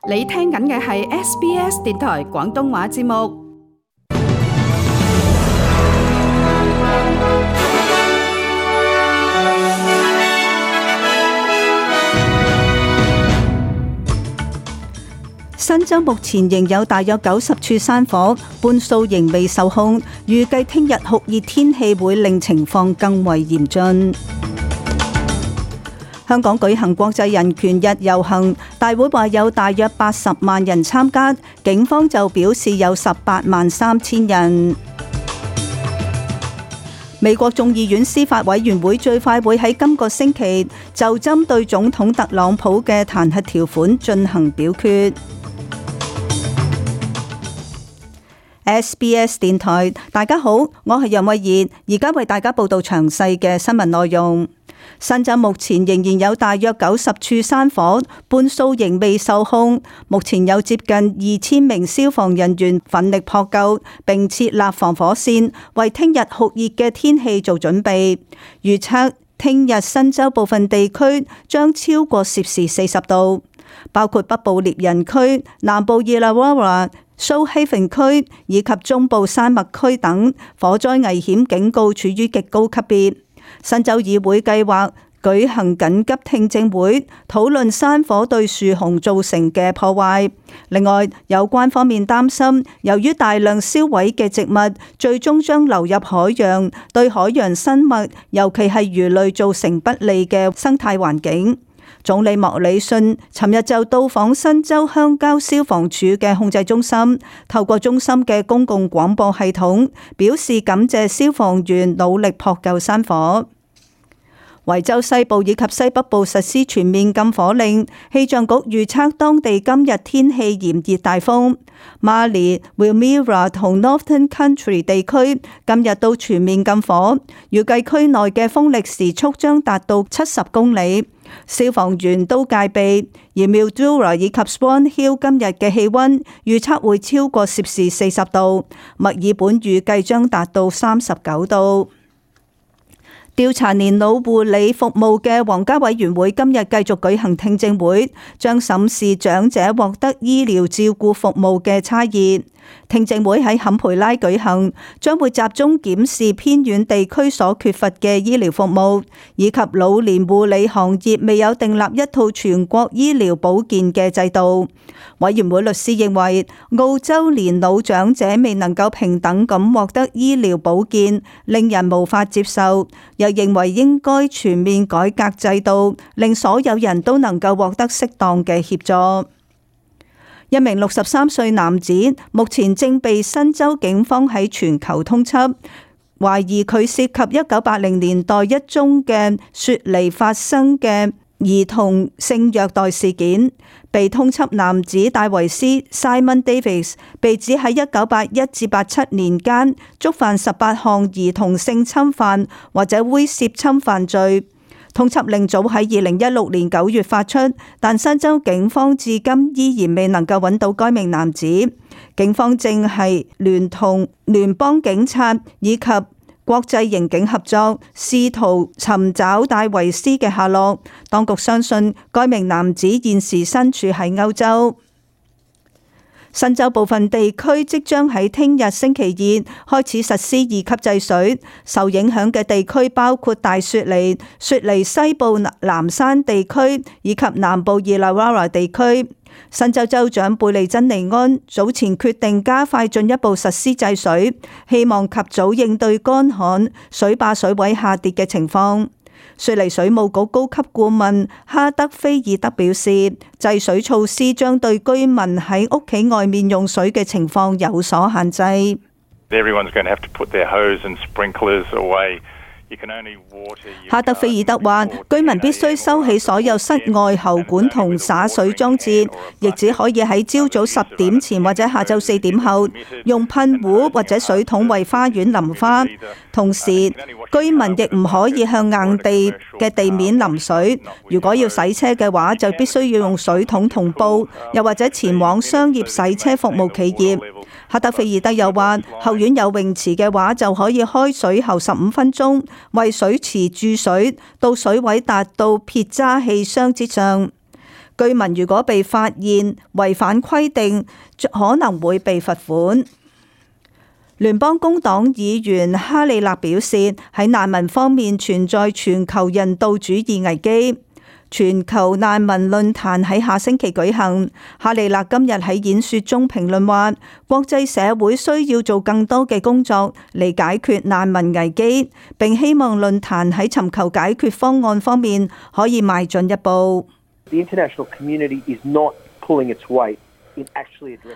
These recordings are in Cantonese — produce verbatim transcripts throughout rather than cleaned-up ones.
你聽緊嘅係 S B S 電台廣東話節目。新州目前仍有大約九十處山火，半數仍未受控。預計聽日酷熱天氣會令情況更為嚴峻。香港舉行國際人權日遊行，大會話有大約八十萬人參加，警方就表示有十八萬三千人。美國眾議院司法委員會最快會喺今個星期就針對總統特朗普嘅彈劾條款進行表決。S B S 電台，大家好，我係楊慧儀，而家為大家報道詳細嘅新聞內容。新州目前仍然有大約九十處山火，半數仍未受控。目前有接近二千名消防人員奮力撲救，並設立防火線，為聽日酷熱嘅天氣做準備。預測聽日新州部分地區將超過攝氏四十度，包括北部獵人區、南部 Illawarra、蘇希芬區以及中部山脈區等，火災危險警告處於極高級別。新州議會計劃舉行緊急聽證會，討論山火對樹熊造成嘅破壞。另外，有關方面擔心，由於大量燒毀嘅植物，最終將流入海洋，對海洋生物，尤其係魚類造成不利嘅生態環境。總理莫里遜尋日就到訪新州鄉郊消防處嘅控制中心，透過中心嘅公共廣播系統表示感謝消防員努力撲救山火。維州西部以及西北部實施全面禁火令，氣象局預測當地今日天氣炎熱大風。Marley、Wilmira 同 Northern Country 地區今日都全面禁火，預計區內嘅風力時速將達到七十公里。消防員都戒備，而 Mildura 以及 Swan Hill 今日嘅氣溫預測會超過攝氏四十度，墨爾本預計將達到三十九度。調查年老護理服務嘅皇家委員會今日繼續舉行聽證會，將審視長者獲得醫療照顧服務嘅差異。聽證會喺坎培拉舉行，將會集中檢視偏遠地區所缺乏嘅醫療服務，以及老年護理行業未有訂立一套全國醫療保健嘅制度。委員會律師認為，澳洲年老長者未能夠平等咁獲得醫療保健，令人無法接受，又認為應該全面改革制度，令所有人都能夠獲得適當嘅協助。一名六十三歲男子目前正被新州警方喺全球通緝，懷疑佢涉及一九八零年代一宗嘅雪梨發生嘅兒童性虐待事件。被通緝男子戴維斯 Simon Davis 被指喺一九八一至八七年間觸犯十八項兒童性侵犯或者猥褻侵犯罪。通緝令早喺二零一六年九月發出，但新州警方至今依然未能夠揾到該名男子。警方正係聯同聯邦警察以及國際刑警合作，試圖尋找戴維斯嘅下落。當局相信該名男子現時身處喺歐洲。新州部分地區即將喺聽日星期二開始實施二級制水，受影響嘅地區包括大雪梨、雪梨西部南山地區以及南部 Illawarra 地區。新州州長貝利珍尼安早前決定加快進一步實施制水，希望及早應對乾旱、水壩水位下跌嘅情況。雪梨水務局高級顧問哈德菲爾德表示，制水措施將對居民喺屋企外面用水嘅情況有所限制。哈德菲爾德話，居民必須收起所有室外喉管同灑水裝置，亦只可以喺朝早十點前或者下晝四點後用噴壺或者水桶為花園淋花。同時，居民亦唔可以向硬地嘅地面淋水。如果要洗車嘅話，就必須要用水桶同布，又或者前往商業洗車服務企業。哈德菲爾德又話，後院有泳池嘅話，就可以開水喉十五分鐘，為水池注水，到水位達到撇渣氣箱之上。居民如果被發現違反規定，可能會被罰款。聯邦工黨議員哈利勒表示，喺難民方面存在全球人道主義危機。全球難民論壇喺下星期舉行。哈利勒今日喺演說中評論話，國際社會需要做更多嘅工作嚟解決難民危機，並希望論壇喺尋求解決方案方面可以邁進一步。The international community is not pulling its weight.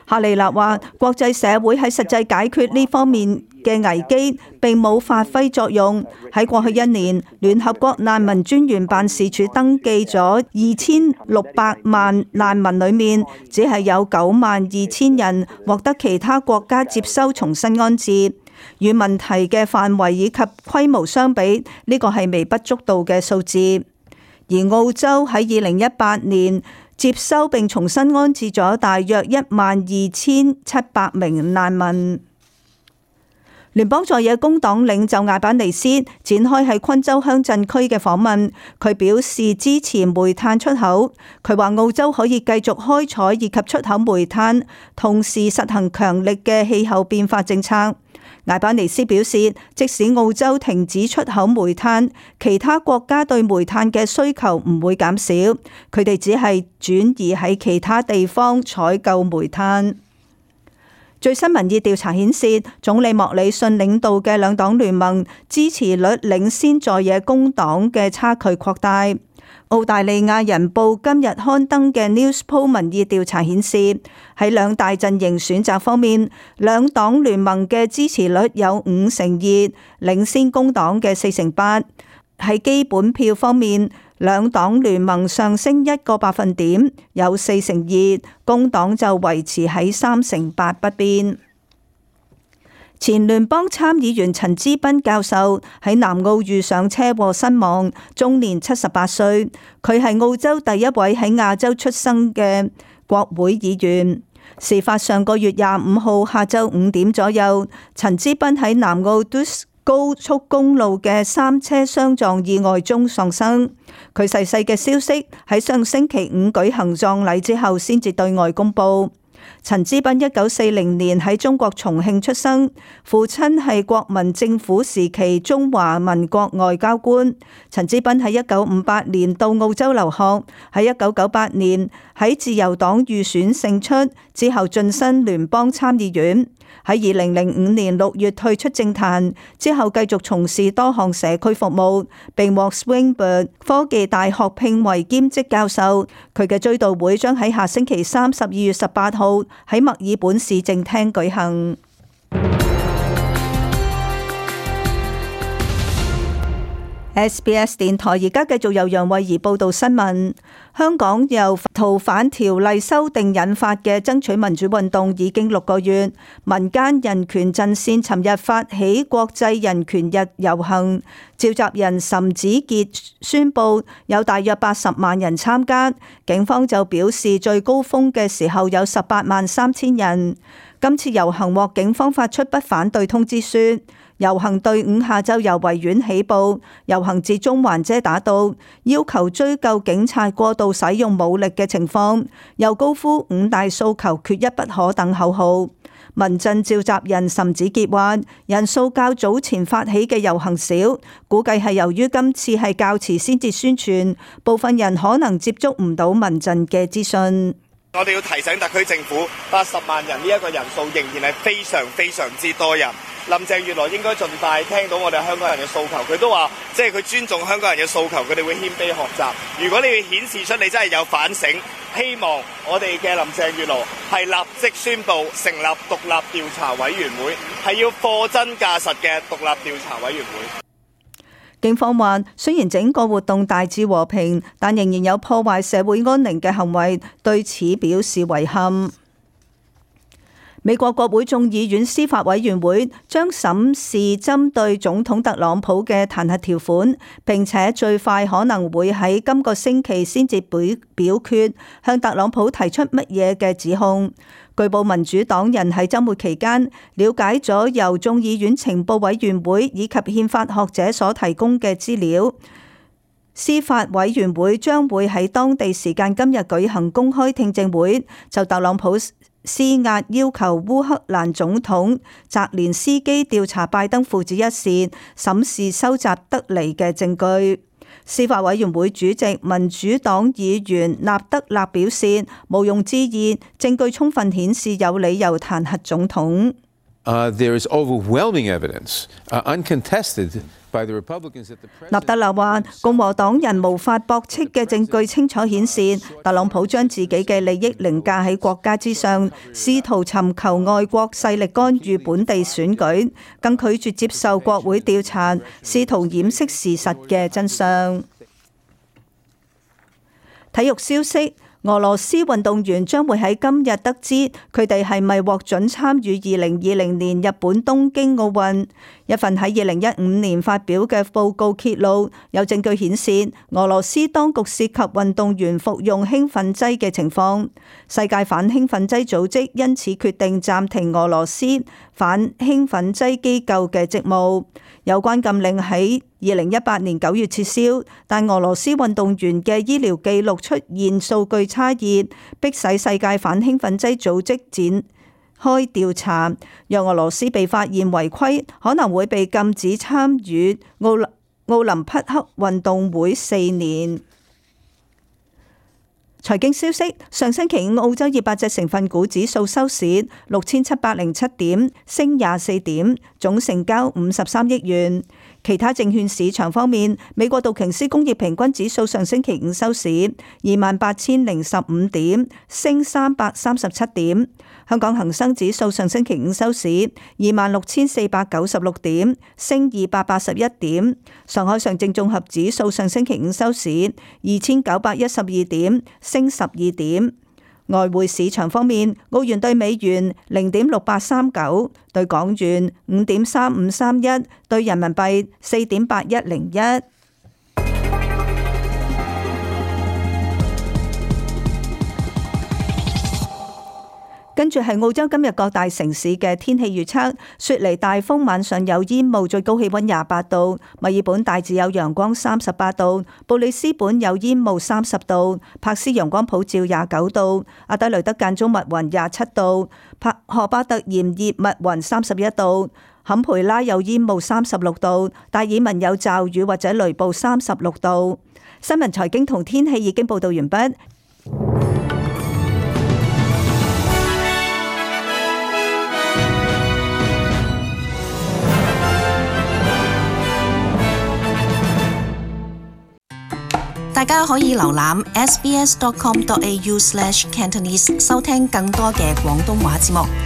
哈利勒話：國際社會喺實際解決呢方面嘅危機並冇發揮作用。喺過去一年，聯合國難民專員辦事處登記咗二千六百萬難民，裡面只係有九萬二千人獲得其他國家接收重新安置。與問題嘅範圍以及規模相比，呢個係微不足道嘅數字。而澳洲喺二零一八年接收並重新安置咗大約一萬二千七百名難民。聯邦在野工黨領袖艾班尼斯展開喺昆州鄉鎮區嘅訪問，佢表示支持煤炭出口。佢話澳洲可以繼續開採以及出口煤炭，同時實行強力嘅氣候變化政策。艾班尼斯表示，即使澳洲停止出口煤炭，其他國家對煤炭嘅需求唔會減少，佢哋只係轉移喺其他地方採購煤炭。最新民意調查顯示，總理莫里遜領導嘅兩黨聯盟支持率領先在野工黨嘅差距擴大。澳大利亞人報今日刊登嘅 Newspoll 民意調查顯示，喺兩大陣營選擇方面，兩黨聯盟嘅支持率有五成二，領先工黨嘅四成八。喺基本票方面，兩黨聯盟上升一個百分點，有四成二，工黨就維持喺三成八不變。前聯邦參議員陳芝賓教授喺南澳遇上車禍身亡，終年七十八歲。佢係澳洲第一位喺亞洲出生嘅國會議員。事發上個月廿五號下晝五點左右，陳芝賓喺南澳都高速公路嘅三車相撞意外中喪生。佢逝世嘅消息喺上星期五舉行葬禮之後先至對外公布。陳芝賓一九四零年喺中國重慶出生，父親係國民政府時期中華民國外交官。陳芝賓喺一九五八年到澳洲留學，喺一九九八年喺自由黨預選勝出，之後晉身聯邦參議院。喺二零零五年六月退出政壇，之後繼續從事多項社區服務，並獲 Swinburne 科技大學聘為兼職教授。佢嘅追悼會將喺下星期三十二月十八號喺墨爾本市政廳舉行。S B S 電台而家繼續由楊慧儀報道新聞。香港由逃犯條例修訂引發嘅爭取民主運動已經六個月，民間人權陣線尋日發起國際人權日遊行，召集人岑子傑宣布有大約八十萬人參加，警方就表示最高峰嘅時候有十八萬三千人。今次遊行獲警方發出不反對通知書。遊行隊伍下晝由維園起步，遊行至中環遮打道，要求追究警察過度使用武力嘅情況，又高呼五大訴求缺一不可等口號。民陣召集人岑子傑話：人數較早前發起嘅遊行少，估計係由於今次係較遲先至宣傳，部分人可能接觸唔到民陣嘅資訊。我哋要提醒特區政府，八十萬人呢一個人數仍然係非常非常之多人。林鄭月娥應該盡快聽到我哋香港人嘅訴求，佢都話即係佢尊重香港人嘅訴求，佢哋會謙卑學習。如果你要顯示出你真係有反省，希望我哋嘅林鄭月娥係立即宣布成立獨立調查委員會，係要貨真價實嘅獨立調查委員會。警方話，雖然整個活動大致和平，但仍然有破壞社會安寧嘅行為，對此表示遺憾。美國國會眾議院司法委員會將審視針對總統特朗普嘅彈劾條款，並且最快可能會喺今個星期先至表表決，向特朗普提出乜嘢嘅指控。據報民主黨人喺週末期間了解咗由眾議院情報委員會以及憲法學者所提供嘅資料。司法委員會將會喺當地時間今日舉行公開聽證會，就特朗普施壓要求烏克蘭總統澤連斯基調查拜登父子一事，審視收集得嚟嘅證據。司法委員會主席民主黨議員納德納表示，毋庸置疑，證據充分顯示有理由彈劾總統。Uh, there is overwhelming evidence, uh, uncontested by the Republicans that the president... 納德納話，共和黨人無法駁斥嘅證據清楚顯示，特朗普將自己嘅利益凌駕喺國家之上，試圖尋求外國勢力干預本地選舉，更拒絕接受國會調查，試圖掩飾事實嘅真相。體育消息。俄羅斯運動員將會喺今日得知佢哋係咪獲准參與二零二零年日本東京奧運。一份喺二零一五年發表嘅報告揭露，有證據顯示俄羅斯當局涉及運動員服用興奮劑嘅情況。世界反興奮劑組織因此決定暫停俄羅斯反興奮劑機構嘅職務。有關禁令喺二零一八年九月撤銷，但俄羅斯運動員嘅醫療記錄出現數據差異，迫使世界反興奮劑組織展開調查。若俄羅斯被發現違規，可能會被禁止參與奧奧林匹克運動會四年。財經消息：上星期五澳洲二百隻成分股指數收市六千七百零七點，升廿四點，總成交五十三億元。其他證券市場方面，美國道瓊斯工業平均指數上星期五收市二萬八千零十五點，升三百三十七點。香港恒生指數上星期五收市二萬六千四百九十六點，升二百八十一點。上海上證綜合指數上星期五收市二千九百一十二點，升十二點。外匯市場方面，澳元兌美元零點六八三九，兌港元五點三五三一，兌人民幣四點八一零一。跟住係澳洲今日各大城市嘅天氣預測：雪梨大風，晚上有煙霧，最高氣溫廿八度；墨爾本大致有陽光，三十八度；布里斯本有煙霧，三十度；珀斯陽光普照，廿九度；阿德雷德間中密雲，廿七度；帕荷巴特炎熱密雲，三十一度；坎培拉有煙霧，三十六度；達爾文有驟雨或者雷暴，三十六度。新聞財經同天氣已經報道完畢。大家可以瀏覽 s b s dot com dot a u slash cantonese 收聽更多嘅廣東話節目。